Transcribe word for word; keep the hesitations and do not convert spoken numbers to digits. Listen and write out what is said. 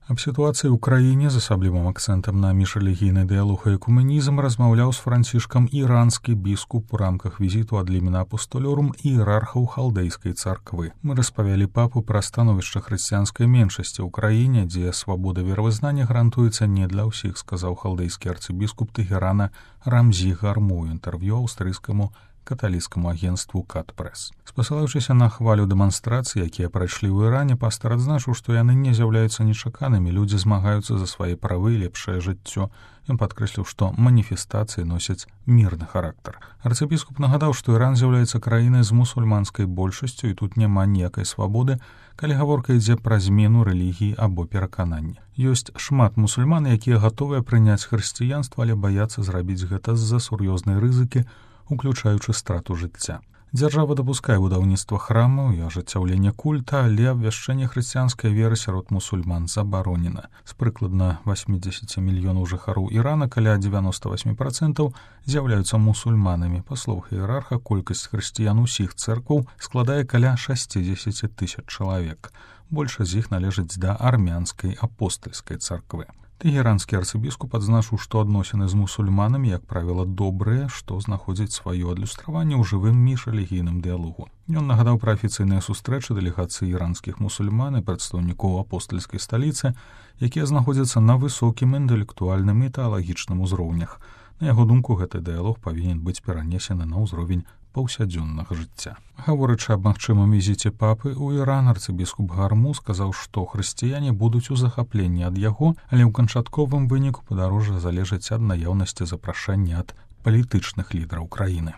Аб сітуацыі ў краіне з асаблівым акцэнтам на міжрэлігійны дыялог і экуменізм размаўляў з Францішкам іранскі біскуп у рамках візіту ад лімена апостолёрум іерархаў халдэйскай царквы. Мы распавялі папу пра становішча хрысціянскай меншасці ў краіне, дзе свабода веравызнання гарантуецца не для ўсіх, сказаў халдэйскі арцыбіскуп Тэгерана Рамзі Гарму ў інтэрв'ю аўстрыйскаму каталіцкаму агенству Кат-Прэс. Спасылаючыся на хвалю дэманстрацый, якія прайшлі ў Іране, пастар адзначыў, што яны не з'яўляюцца нечаканымі, людзі змагаюцца за свае правы і лепшае жыццё. Ён падкрэсліў, што маніфестацыі носяць мірны характар. Арцыбіскуп нагадаў, што Іран з'яўляецца краінай з мусульманскай большасцю і тут няма ніякай свабоды, калі гаворка ідзе пра змену рэлігіі або пераканання. Ёсць шмат мусульман, якія гатовыя прыняць хрысціянства, але баяцца зрабіць гэта з-за сур'ёзнай рызыкі, уключаючы страту жыцця. Дзяржава дапускае будаўніцтва храмаў і ажыццяўлення культа, але абвяшчэнне хрысціянскай веры сярод мусульман забаронена. З прыкладна васьмідзесяці мільёнаў жыхароў Ірана каля дзевяноста восьмі працэнтаў з'яўляюцца мусульманамі. Па словах іерарха, колькасць хрысціян усіх цэркваў складае каля шасцідзесяці тысяч чалавек. Большасць з іх належыць да армянскай апостальскай царквы. Тэгеранскі арцыбіскуп адзначыў, што адносіны з мусульманамі, як правіла, добрыя, што знаходзіць сваё адлюстраванне ў жывым міжрэлігійным дыялогу. Ён нагадаў пра афіцыйныя сустрэчы дэлегацыі іранскіх мусульман і прадстаўнікоў апостальскай сталіцы, якія знаходзяцца на высокім інтэлектуальным і тэалагічным узроўнях. На яго думку, гэты дыялог павінен быць перанесены на ўзровень паўсядзённага жыцця. Гаворачы аб магчымым візіце папы ў Іран, арцыбіскуп Гарму сказаў, што хрысціяне будуць у захапленні ад яго, але ў канчатковым выніку падарожжа залежыць ад наяўнасці запрашэння ад палітычных лідараў краіны.